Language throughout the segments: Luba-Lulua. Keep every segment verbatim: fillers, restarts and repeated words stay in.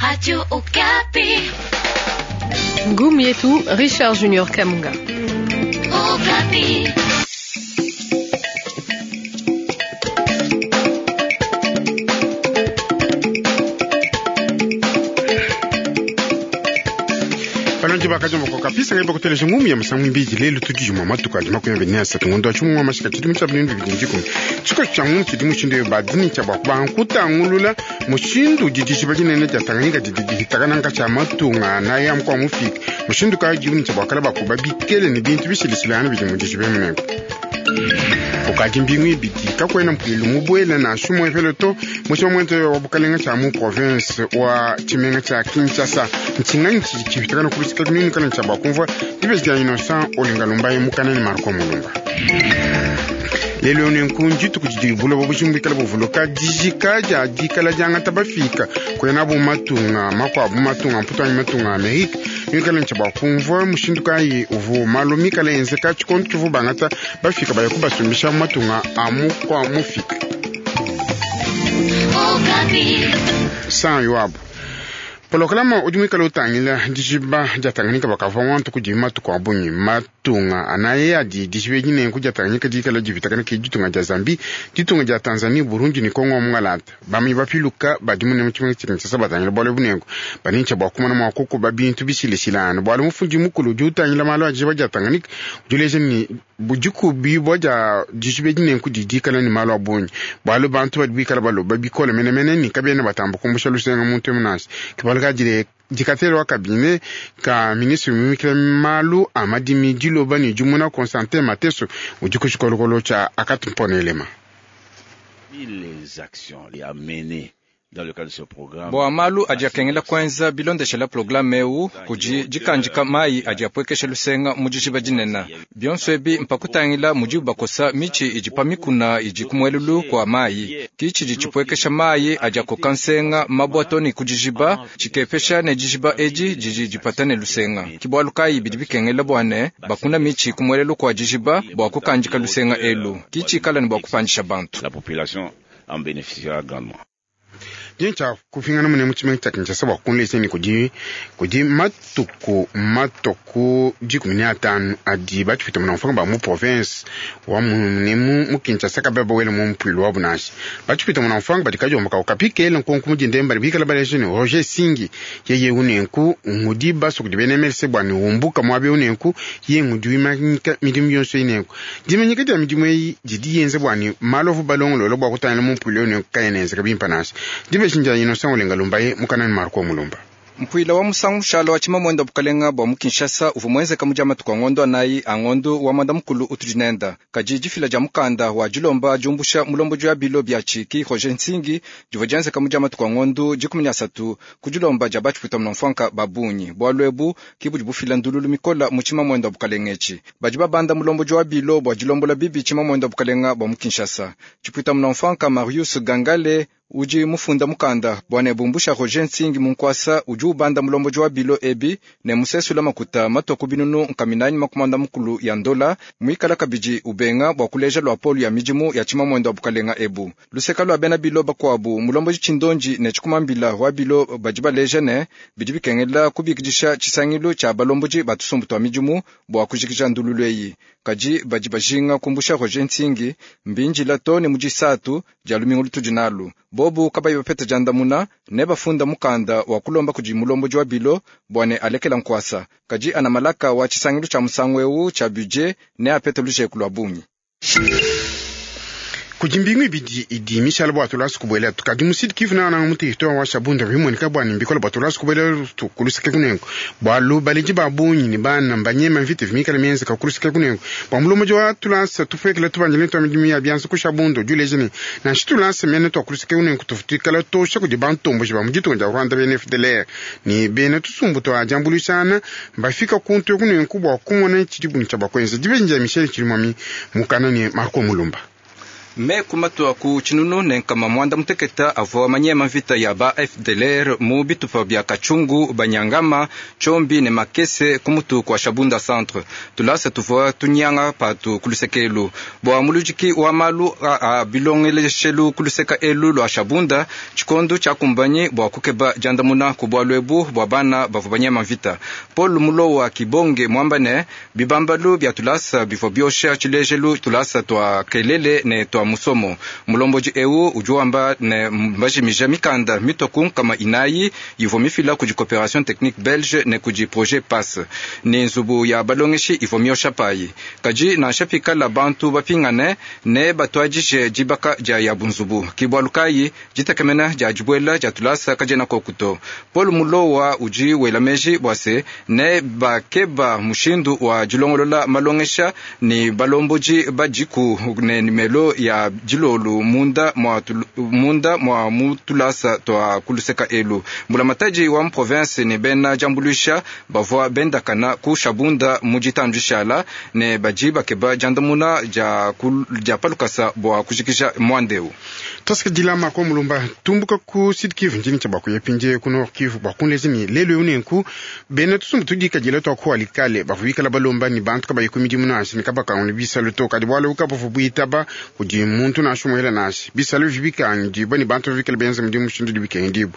Radio Okapi. Ngumu yetu Richard Junior Kamunga. Okapi. Balongi bakajomba kapisa ngai bakuteleja ngumu ya masangu mbiji lelo tudijuma matuka adi makumi abiri ne asatu ngondo wa tshimuma mashika tshidimu tshia binunu bibidi ne dikumi tshiko tshia ngumu tshidi mushindu eyo badini tshia bua kubanga mushindu udi dijiba dinene dia Tanganyika didi dihitakana tshia matunga anayi amukua mufika mushindu kayi diuni tshia buakala bakuba bikele ne bintu bishilishilangana bidi mu dijiba emunengo ukadi mbingu ibidi kakwena mpuilu mubuela na shumo efelo to mushima mwente wa bukalenga tshia mu province wa tshimenga tshia Kinshasa ntshinganyi tshidi tshipitakana kulusika kunini kana tshia bakumvua dibeji dia Innocent Olinga Lumbaye mukanani Marco Mulumba lelo nenku ndituku didi buloba bujimbikala buvuluka dijika dia dikala diangata bafika kuyana bu matunga makuabu matunga mputu anyi matunga Amerika mikala ntshia bakumvua mushindu kayi uvu malu mikala enzeka tshikondo tshivu bangata bafika baya kubasumbisha matunga a mukua mufika san yoabu polokalama udi muikale utangila dijiba dia Tanganyika bakavua wantu kudi matuku a bungi matunga anaye adi dijiba edi nenku dia Tanganyika dikala dipitakana ke ditunga dia Zambie ditunga dia Tanzanie Burundi ne Kongo wa mungalata bamanyi bapiluka badi mune mu tshimenga tshia Kinshasa batangila bualu bunenku banintsha bua kumona mua kukuba bintu bishilishilana bualu mufundi mukulu udi utangila malu a dijiba dia Tanganyika udi uleja ne budikubibua dia dijiba edi nenku didi dikala ne malu a bungi bualu bantu badi bikala baloba bikole menemene ne kabena batamba kumbusha lusenga muntu emunasi ke kadile dikatele wa kabine ka ministre mimikila malu a madimi diloba ne dimuna Constantin Mateso udi ku tshikolokolo tshia akatumponelema les actions les amener dans le cadre de ce programme bua malu adi akengela kuenza bilondeshela programe eu kudi dikandika mayi adi apuekesha lusenga mu dijiba dinene bionso ebi mpakutangila mudibu bakosa mitshi idi pa mikuna idi kumuelulu kua mayi ki tshidi tshipuekesha mayi adi akoka nsenga mabua ne ku dijiba tshikepesha ne dijiba edi didi dipata ne lusenga ki bualu kayi bidi bikengela bua ne bakuna mitshi kumuelelu kua dijiba bua kukandika lusenga elu ki tshikala ne bua kupandisha bantu la population en bénéficiera grandement. Dincha kufingana mune mu tshimenga tshia Kinshasa bua kunlesa ne kudi kudi matuku matuku dikumi ne atanu adi batshipita muna mfanga ba mu province wa mune mu Kinshasa kabe bawele mu mpuilu wa bunashi batshipita muna mfanga badi kajomba ka ukapikele nkonku mudinde mbali bikala baleje ne Roger Singi yeye unenku ngudi baso kudi bena M L C bua ne umbuka muabe unenku ye ngudi wimanyika midimu yonso inenku dimanyika dia midimu eyi didi yenze bua ne malovu balongololo bua kutangila mu mpuilu unenku kayenenzeka bimpa nashi dibe Shinja Innocent Olinga Lumbaye mukanani Marco Mulumba mpuila wa musangu mushala wa tshimamwenda bukalenga bua mu Kinshasa uvua muenzeka mu dia matuku a ngondo anayi a ngondo wa mwanda mukulu utudi nenda kadi difila dia mukanda wa dilomba diumbusha mulombodi wa bilo bia tshiki Roger Nsingi divua dienzeka mu dia matuku a ngondo dikumi ne asatu ku dilomba dia batshipwita muna babunyi bualu ebu ki budi bufila ndululu mikola mu tshimamwenda bukalenga etshi badi babanda mulombodi wa bilo bua dilombola bibi tshimamwenda bukalenga bua mu Kinshasa tshipwita muna mfwanka Marius Gangale udi mufunda mukanda bua ne bumbusha Roger Nsingi munkwasa udi ubanda mulombodi wa bilo ebi ne musesula makuta matoku binunu nkaminanyi makumanda mukulu ya ndola muikala kabidi ubenga bua kuleja lua polu ya midimu ya tshimamwendo wa bukalenga ebu luseka lua bena bilo bakuabu mulombodi tshindonji ne tshikumambila wa bilo badi baleja ne bidi bikengela kubikidisha tshisangilu tshia balombodi batusumbu tua midimu bua kujikija ndululu eyi kadi badi bajinga kumbusha Roger Nsingi mbinjila to ne mudisatu dia lumingu lutudi nalu bobu kabayi bapeta jandamuna ne bafunda mukanda wa kulomba kudi mulombodi wa bilo bua ne alekela nkwasa kadi ana malaka wa tshisangilu tshia musangu eu tshia budget ne apete lujeku lua bungi kudi mbingu ibidi idi mishala bua tulasa kubuela tukadi musidi kivu na na mutu ito wa shabunda bimoneka bua nimbikola bua tulasa kubuela tukulusike kunengo bualu baledi ba bungi ne bana mbanyema mvita vimikala mienzeka kulusike kunengo bua mulombodi wa tulasa tufekela tubanjile twa midimu ya bianza ku Shabunda udi uleja ne nansha tulasa mene twakulusike kunengo tufutikala tosha kudi bantomboji ba mu ditunga dia Rwanda bena F D L R ne bena tusumbu twa diambuluishana mbafika kuntu kunengo bua kumona tshidi bungi tshia bakwenza dibenja Michel Chirimwami mukana ne Marco Mulumba. Meku matua ku tshinunu ne nkama mwanda muteketa avua manyema mvita ya ba F D L R mu bitupa bya Kachungu, Banyangama, Chombi ne Makese ku mutu kwa Shabunda Centre. Tulasa tuvua tunyanga patu kulusekelu. Bua mulujiki wa malu a, a bilongeleshelu kuluseka elu lwa Shabunda, tshikondo tshia kumbanyi bua kukeba diandamuna ku bualu ebu bua bana bavua banyema mvita. Paul Mulowa Kibonge mwamba ne bibambalu bya tulasa bivua biosha tshilejelu tulasa twa kelele ne twa musomo. Mulomboji eu udi wamba ne mbajimija mikanda mitoku nkama inayi ivua mifila kudi coopération technique belge ne kudi projet pass ne nzubu ya balongeshi ivua miosha payi. Kadi nansha pikala bantu bapingane ne batuadije dibaka dia ya bunzubu kibwalu kayi ditekemena dia dibuela dia tulasa kadiena kokuto. Paul Mulowa udi wela meji bua se ne bakeba mushindu wa dilongolola malongesha ni balomboji badiku ne nimelo ya dilolu munda mwa munda mwa mutulasa twa kuluseka elu. Mbulamatadi wa province ne bena jambulusha bavua bendakana ku Shabunda mu ditandishala ne badi bakeba diandamuna dia dia palukasa bua kujikija mwandeu. Tosika dilama ko mulumba tumbuka ku Sud Kivu njini cha bakuye pinje ku Nord Kivu bakunlezi ni lelo yunenku bena tusumbu tudika jila twa ku alikale bavubikala balomba ni bantu kabayi ku midimu nashi ni kabaka on bisalo to kadi bwalo kabavu buitaba kudi muntu nashu muhela nashi bisalo vibikandi bani bantu bikala benza mudimu shindu dibikendi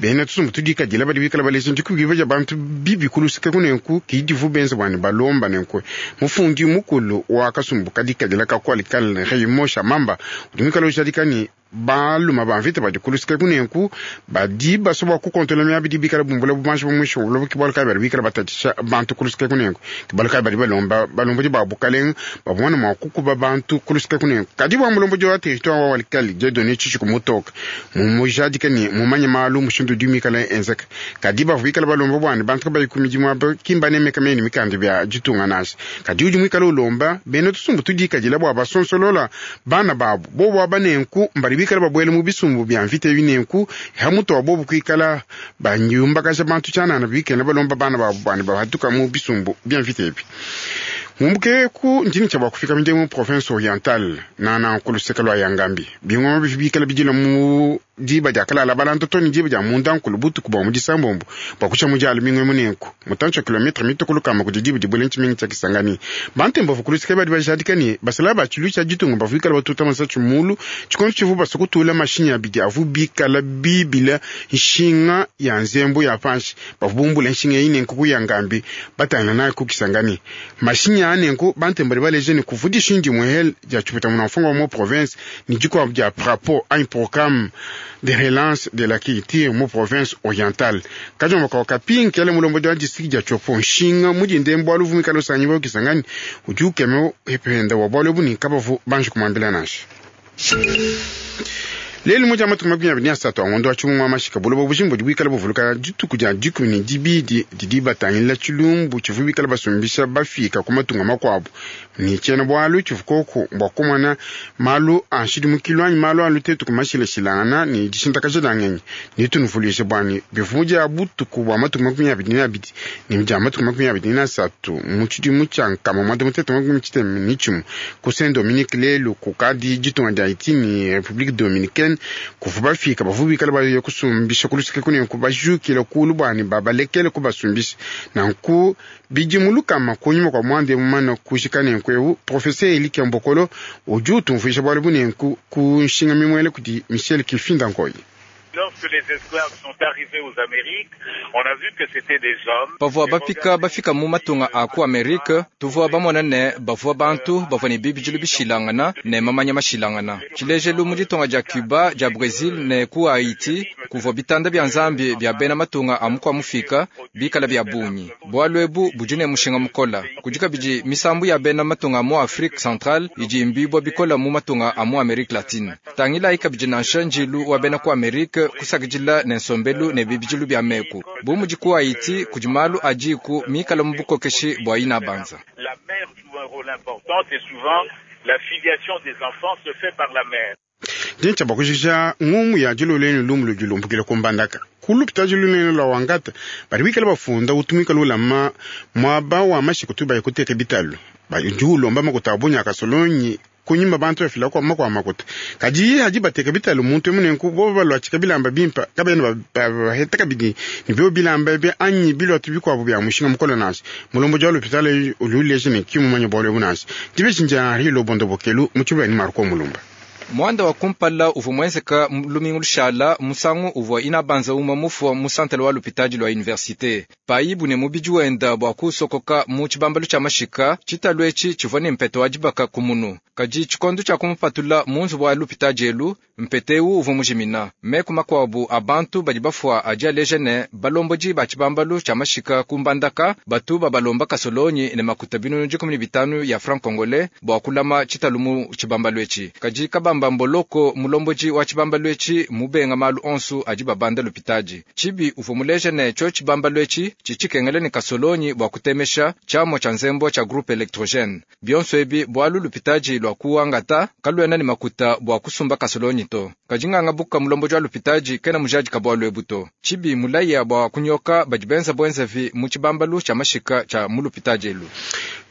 bena tusumbu tudika jila badi bikala balezi ndiku bibaja bantu bibi kulusika kunenku kidivu benza bwani balomba nenku mufundi mukulu wa kasumbu kadika jila ka ku alikale Raymond Mamba udimikala ujadikani baluma bamvita badi kulusika kunenku badi basoba kukontola myabi dibikala bumbula bumanshi bumwisho bulobo kibalo kayi badi bikala batatisha bantu kulusika kunenku kibalo kayi badi balomba balomboji ba bukalenga babona mwa kukuba bantu kulusika kunenku kadi bwa mulomboji wa territoire wa walikali Dieudonné Tshishiku mutoka mumujadika ni mumanye malu mushindu dimikala enzeka kadi bavu bikala balomba bwani bantu kabayi ku midimu abo kimba nemeka meni mikanda bya ditunga nashi kadi udi mwikala ulomba bena tusumbu tudikadila bwa basonsolola bana babu bobo abanenku mbali bikala babwele mu bisumbu bya mvita binenku hamuto wabobu kwikala banyumbakaja bantu chanana bikene balomba bana babu bani bahatuka mu bisumbu bya mvita ebi. Mumbuke ku njini cha bakufika minde mu province orientale na na kuluseka lwa Yangambi bingoma bikala bijila mu diba dia kalala balanto toni diba dia munda nkulu butuku bwa mu disambombo bwa kucha mujalo mingwe munenku mutancho kilometre mitokulu kama kudi diba dibwele nchimingi cha Kisangani bantembo vukulusika badi bajadikani basala ba chilu cha ditunga bavuikala batuta masachu mulu chikondo chivu basokutula mashinya abidi avu bikala bibila nshinga ya nzembo ya panshi bavubumbula nshinga ine nkuku Yangambi batana nayo ku Kisangani mashinya anenku bantembo baleje ni kuvudisha indi muhel dia chupita munafunga wa mu province ni jikwa dia prapo un programme de relance de la culture mu province orientale kajomba kwa kapinki ale mulombo wa district ya Chopo nshinga mujinde mbwalu vumika losanyi bo Kisangani ujuke mo hependa wa bwalu buni kabavu banji kumambila nashi lelo moja matuku makumi abiri na asatu angondo wa tshimumwa mashika bulobo bujimbo dibwikala buvuluka dituku dia dikumi ne dibidi didi batangila tshilumbu tshivu bikala basumbisha bafika ku matunga makuabu ni tshiena bualu tshivu koko bua kumona malu a nshidimukilu anyi malu a lutetuku mashilashilangana ni dishintakaja dia ngenyi nitunuvuluishe buani bivu dia butuku bua matuku makumi abiri ne abidi ni dia matuku makumi abiri na asatu mu tshidimu tshia nkama mwanda mutete makumi tshitema ne tshimue ku Saint Dominique lelu kukadi ditunga dia Haiti ni République Dominicaine kuvu bafika bavu bikala baye kusumbisha kulusika kunenku bajukila kulu bwani babalekele kubasumbisha nanku bidimulukama kunyuma kwa mwande mumana kushika nenku ewu professeur Elike Mbokolo udi utumvuisha bualu bunenku ku nshinga mimwele kudi Michel Kifinda Nkoyi. Lorsque les esclaves sont arrivés aux Amériques, on a vu que c'était des hommes. Bavua bafika bafika mu matunga a ku Amerika, tuvua bamona ne bavua bantu bavua ne bibidilu bishilangana ne mamanya mashilangana. Tshilejelu mu ditunga dia Cuba, dia Brazil ne ku Haiti, kuvua bitanda bya nzambi bya bena matunga a mukua mufika bikala bya bungi. Bualu ebu budi ne mushinga mukola. Kudi kabidi misambu ya bena matunga a mu Afrique Centrale idi imbibua bikola mu matunga a mu Amerique Latine. Tangila ikabidi nansha njilu wa bena ku Amerika kusakidila ne nsombelu ne bibidilu bya meku. Bu mudi ku Haiti kudi malu adiku mikala mu bukokeshi bua ina banza. La mère joue un rôle important et souvent la filiation des enfants se fait par la mère. Dincha bakujisha ngumu ya diloleni lumu ludilumbukile kumbandaka kulupita diloleni lwa wangata badi bikala bafunda utumika lulama mwaba wa mashiku tu bayikuteka bitalu badi ulomba makuta abunya kasolonyi Kunyima bantu bafila kwa makwa makuta kadi hadi bateka bitalu muntu munenku bo balwatshika bilamba bimpa kabena baheta kabidi ni byo bilamba bya anyi bilwatu bikwabo bya mushinga mukolo nasi mulombo jwa lopitalo ululeje ne kimumanya bwalo bunasi dibeshinja hilo bondo bokelu muchiba ni Marko Mulumba. Mwanda wa kumpala uvua muenzeka lumingu lushala musangu uvua inabanza uma mufua mu santele wa lupitadi lwa universite payibu ne mubidi wenda bua kusokoka mu tshibambalu tshia mashika tshitalu etshi tshivua ne mpete wa dibaka kumunu kadi tshikondo tshia kumupatula mu nzubu wa lupitadi elu mpete ewu uvua mujimina meku makuabu a bantu badi bafua adi aleja ne balombodi ba tshibambalu tshia mashika ku Mbandaka batu babalomba kasolonyi ne makuta binunu dikumi ne bitanu ya franc congolais bua kulama tshitalu mu tshibambalu etshi kadi kabamba mboloko mulomboji wa tshibambalu etshi mubenga malu onsu adi babanda lupitadi tshibi uvua muleja ne tshio tshibambalu etshi tshitshikengele ne kasolonyi bua kutemesha tshiamua tshia nzembo tshia groupe électrogène bionso ebi bualu lupitadi lua kuangata kaluena ne makuta bua kusumba kasolonyi to kadi nganga buka mulomboji wa lupitadi kena mujadi kabualu ebu to tshibi mulaya bua kunyoka badi benza bwenzavi mu tshibambalu tshia mashika tshia mu lupitadi elu.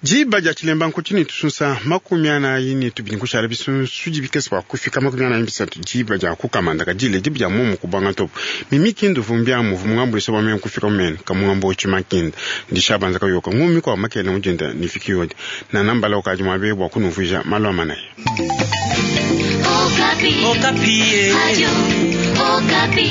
Jiba ja chilemba nkuchini tusunsa makumi anayi ne tubili nkushala bisunsu bikese bua kufika makumi anayi bisatu jiba ja kukamanda kadile jiba ja mumu kubanga topo mimi kindu vumbya muvu mungambulisa bwa meme kufika mumene kamungambo uchimakinda ndishabanza kayoka ngumi kwa makele mujenda nifiki yodi na nambala ukaji mwabe bua kunuvija malo amanaye. Okapi. Okapi. Radio Okapi.